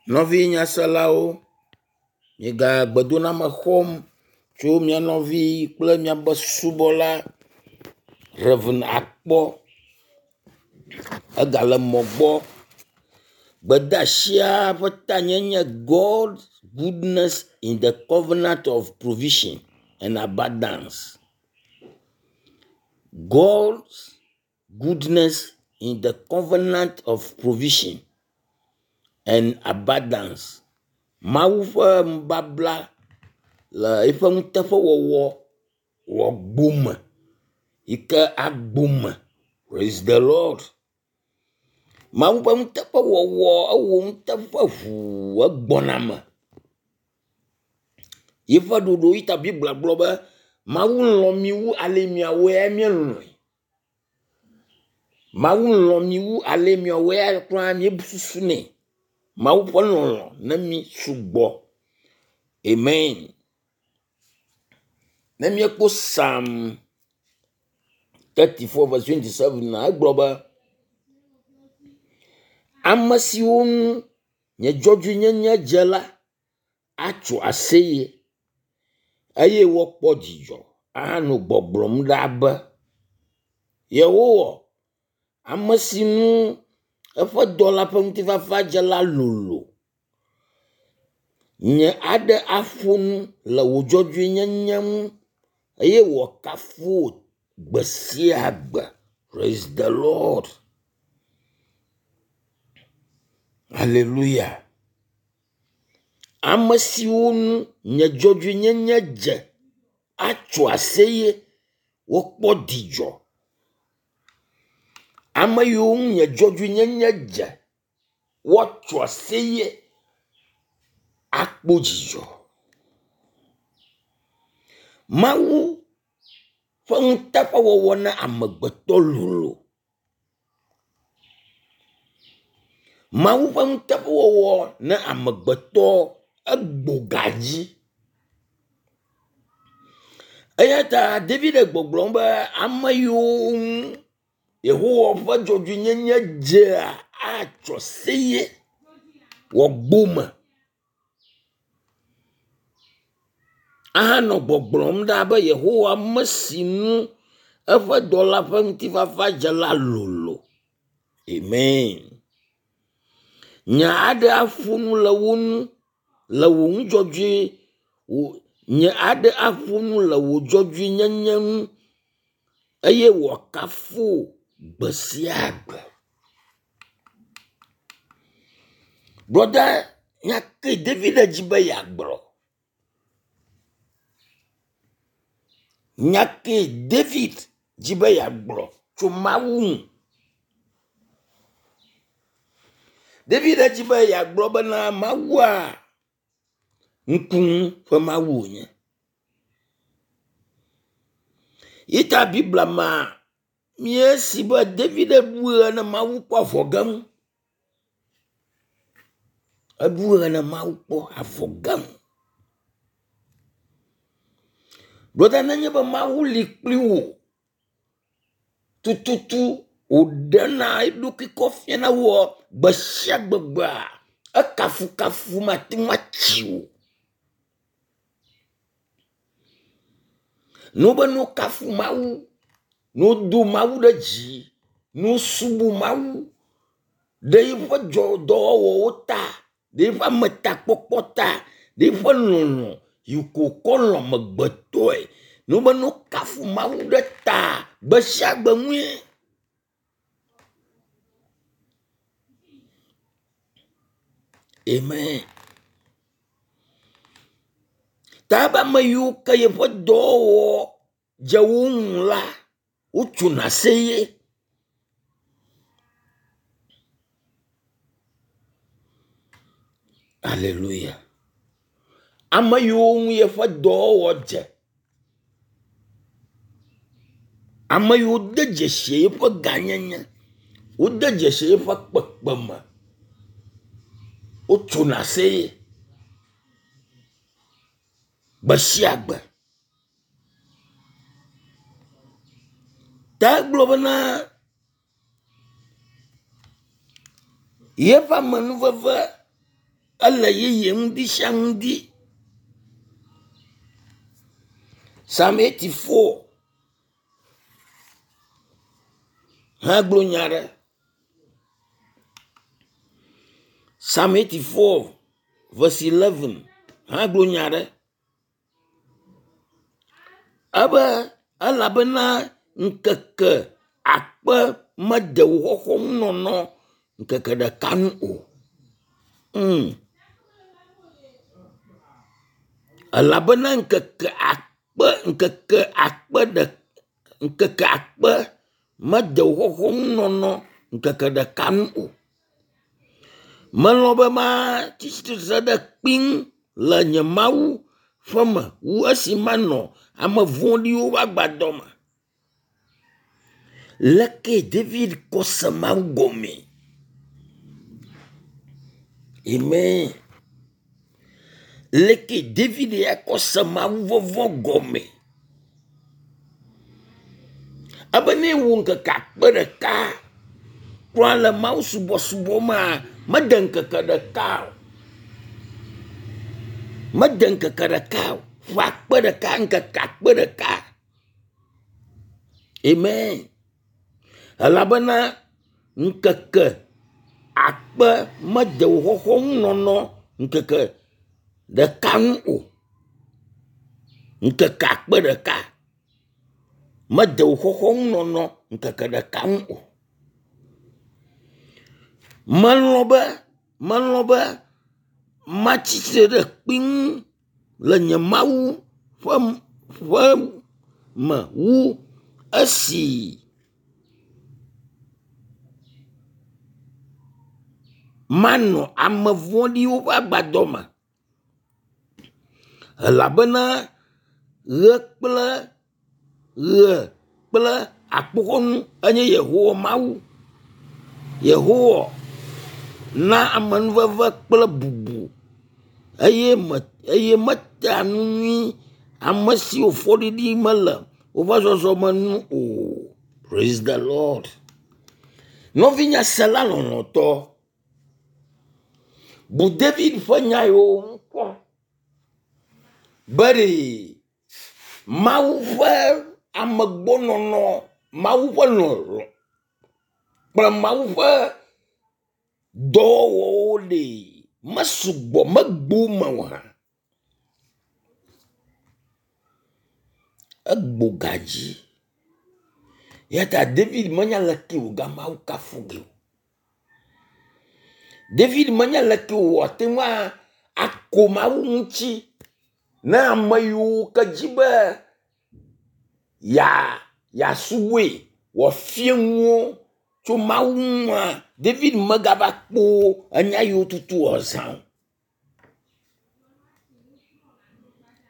Nɔvi nyaselawo, miega gbedoname xɔm tso mia nɔvi kple miaƒe subɔla Rev. Akpɔ egale mɔ gbɔ. Gbedeasia ƒe tanya nye God goodness in the covenant of provision and abundance. God's goodness in the covenant of provision and abundance. Mawu ƒe nubabla le eƒe nuteƒewɔwɔ wɔ gbome yi ke agbome. Praise the Lord. Mawu ƒe nuteƒewɔwɔ ewɔ nuteƒe ŋuu egbɔna me. Yiƒe ɖoɖo yi ta Biblia gblɔ be Mawu lɔ̃ mi wu ale miawoe mielɔ̃e. Mawu lɔ̃ mi wu ale miawoe kura míesusu nɛ. Mawu ƒe lɔlɔ̃ ne mi sugbɔ. Amen. Ne míekpɔ Psalm 34 verse 27 na egblɔ be ame siwo ŋu nye dzɔdzɔenyenye dze la atso aseye eye woakpɔ dzidzɔ ahanɔ gbɔgblɔm ɖa be Yehowa, ame si ŋu eƒe dɔla ƒe ŋutifafa dze la lolo. Nye aɖe aƒo nu le wò dzɔdzɔenyenye ŋu eye wòakafu wò gbe sia gbe. Praise the Lord. Hallelujah. Ame siwo ŋu nye dzɔdzɔenyenye dze atso aseye wokpɔ dzidzɔ. Ame yiwo ŋu nye dzɔdzɔenyenye dze woatso aseye akpɔ dzidzɔ. Mawu ƒe nuteƒewɔwɔ na amegbetɔ lolo. Mawu ƒe nuteƒewɔwɔ na amegbetɔ egbo ga dzi. Eya ta David le gbɔgblɔm be ame yiwo ŋu Yehowa ƒe dzɔdzɔenyenye dzea atso aseye wòagbo me ahanɔ gbɔgblɔm ɖa be Yehowa ame si ŋu eƒe dɔla ƒe ŋutifafa dze la lolo. Amen. Nye aɖe aƒo nu le wo ŋu le wò nu dzɔdzɔe wò nye aɖe aƒo nu le wò dzɔdzɔenyenye ŋu eye wòakafu wò gbe sia gbe. Brɔda, nya ke David dzi be yeagblɔ. Nya ke David dzi be yeagblɔ tso Mawu ŋu. David dzi be yeagblɔ bena Mawua ŋkunu ƒe Mawu wònye. Yi ta Biblia ma míesi be David ɖu ɣe ne Mawu kpɔ avɔ ge ŋu. Eɖu ɣe ne Mawu kpɔ avɔ ge ŋu. Brɔda nenye be Mawu li kpli wò tututu wòɖena eɖokui kɔ fiana wò gbe sia gbe gbea, ekafukafu mate ŋu atsi o. Ne wobe ne wokafu Mawu, ne wodo Mawu ɖe dzi, ne wosubɔ Mawu ɖe yiƒe dɔwɔwɔwo ta, ɖe yiƒe ametakpɔkpɔ ta, ɖe yiƒe lɔlɔ̃ yi ko wòkɔ lɔ̃ amegbetɔe, ne wobe ne wokafu Mawu ɖe ta gbe sia gbe ŋue. Amen. Ta ebe ame yiwo ke yeƒe dɔwɔwɔ dze wo ŋu la, wotsona aseye. Aleluya. Ame yiwo ŋu yeƒe dɔwɔwɔ dze, ame yiwo de dzesi yeƒe gãnyenye, wode dzesi yeƒe kpekpeme, wotsona aseye gbe sia gbe. Ta egblɔ bena yeƒe amenuveve Ele yeye ŋdi sia ŋdi. Psalm 84 hã gblɔ nya ɖe. Psalm 84 verse 11 hã gblɔ nya ɖe. Ebe elabena ŋkeke akpe mede wò xɔxɔnunɔnɔ ŋkeke ɖeka nu o. Elabena ŋkeke akpe ŋkeke akpe ɖe ŋkeke akpe mede wò xɔxɔnunɔnɔ ŋkeke ɖeka nu o. Melɔ̃ be matsi tsitre ɖe kpim le nye Mawu ƒe me wu esi manɔ ame vɔ̃ɖiwo ƒe agbadɔ me. Leke David kɔ se Mawu gɔmee? Amen. Leke David ya kɔ se Mawu vɔvɔ̃ gɔme? Ebe ne wò ŋkeke akpe ɖeka kura le Mawu subɔsubɔ mea, mede ŋkeke ɖeka o. Mede ŋkeke ɖeka o. Ƒe akpe ɖeka, ŋkeke akpe ɖeka. Amen. Elabena ŋkeke akpe mede wò xɔxɔnunɔnɔ ŋkeke ɖeka ŋu o. Ŋkeke akpe ɖeka mede wò xɔxɔnunɔnɔ ŋkeke ɖeka ŋu o. Melɔ̃ be melɔ̃ be matsi tsitre ɖe kpi ŋu le nye Mawu ƒe ƒe me wu esi manɔ ame vɔ̃ɖiwo ƒe agbadɔ me. Elabena ɣe kple ɣe kple akpoxɔnu enye Yehowa Mawu. Yehowa na amenuveve kple bubu eye me eye metea nu nyui ame siwo fɔɖiɖi mele woƒe zɔzɔme nu o. Praise the Lord. Nɔvinye sela lɔlɔ̃tɔ, bu David ƒe nya yiwo ŋu kpɔ be ɖe Mawu ƒe amegbɔnɔnɔ, Mawu ƒe lɔlɔ̃ kple Mawu ƒe dɔwɔwɔwo ɖe mesugbɔ megbo me o hã. Egbo gadzi. Eya ta David menya leke wòga Mawu kafu ge o. David menya leke wòate ŋu ako Mawu ŋuti ne ame yiwo ke dzi be ya yeasubɔe wòafia nuwo tso Mawu ŋua, David megava kpɔ enya yiwo tutu wòazã o.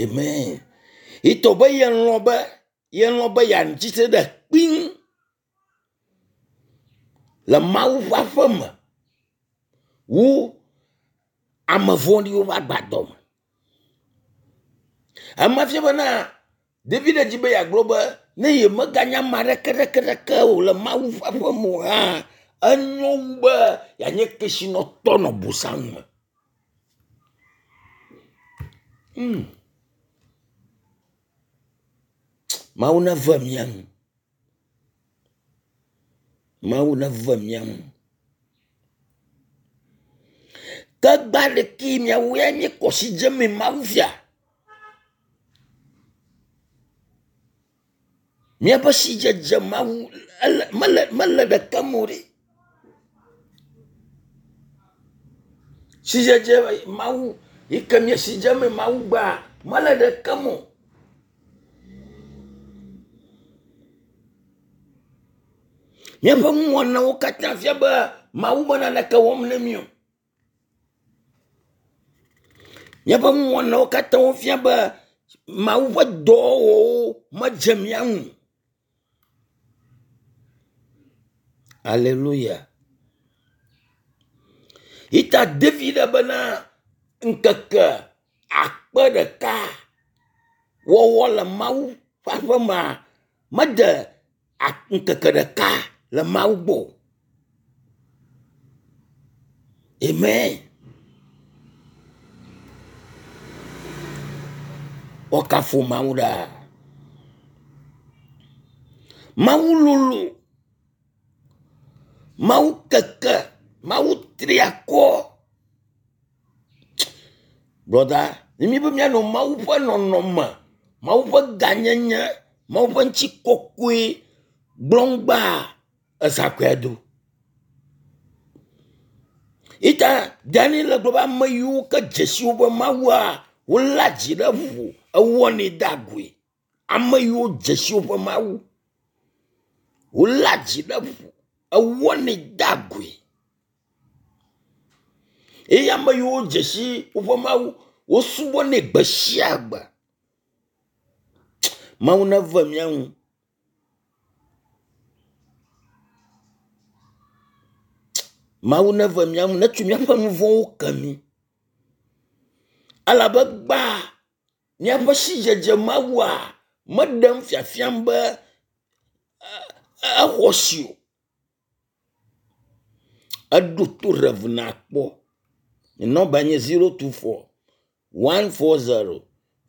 Amen. Yetɔ be yelɔ̃ be yelɔ̃ be yeatsi tre ɖe kpi ŋu le Mawu ƒe aƒe me wu ame vɔ̃ɖiwo ƒe agbadɔ me. Ema fia bena David dzi be yeagblɔ be ne yemeganye ame aɖeke ɖeke ɖeke o le Mawu ƒe aƒe me o hã, enyo wu be yeanye kesinɔtɔ nɔ bosam me. Mawu neve mía nu. Mawu neve mía nu. Ke gba ɖeke miawo ya míekɔ si dze mee Mawu fia. Míaƒe sidzedze Mawu ele mele mele ɖeke me o ɖe. Sidzedze Mawu yi ke mía si dzem Mawu gbea mele ɖeke me o. Míaƒe nuwɔnawo katã fia be Mawu me naneke wɔm ne mí o. Míaƒe nuwɔnawo katã fia be Mawu ƒe dɔwɔwɔwo medze mía ŋu o. Aleluya. Yi ta David bena ŋkeke akpe ɖeka wɔwɔ le Mawu ƒe aƒe mea mede ŋkeke ɖeka le Mawu gbɔ o. Amen. Woakafu Mawu ɖaa. Mawu lolo. Mawu keke. Mawu tri akɔ. Brɔda, ne míbe míanɔ Mawu ƒe nɔnɔme, Mawu ƒe gãnyenye, Mawu ƒe ŋutikɔkɔe gblɔm gbaa, ezãkɔe do. Ita Daniel le gblɔ be ame yiwo ke dzesi woƒe Mawua, wolé dzi ɖe ƒo ewɔnɛ de agoe. Ame yiwo dzesi woƒe Mawu, wolé dzi ɖe ƒo ewɔnɛ de agoe. Eye ame yiwo dzesi woƒe Mawu, wosubɔnɛ gbe sia gbe. Mawu neve mía ŋu. Mawu neve mía ŋu netso míaƒe nu vɔ̃wo ke mí. Elabe gbã míaƒe sidzedze Mawua meɖem fiafiam be exɔ si o. Eɖo to Rev nakpɔ. Nye nɔmba nye 024 140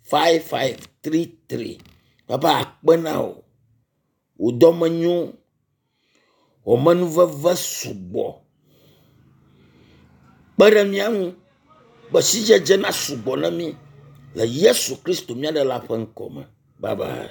5533. Papa akpe na wò. Wò dɔme nyo. Wò amenuveve sugbɔ. Kpe ɖe mía ŋu be sidzedze nasugbɔ na mí le Yesu Kristo mía Ɖela ƒe ŋkɔ me. Bye bye.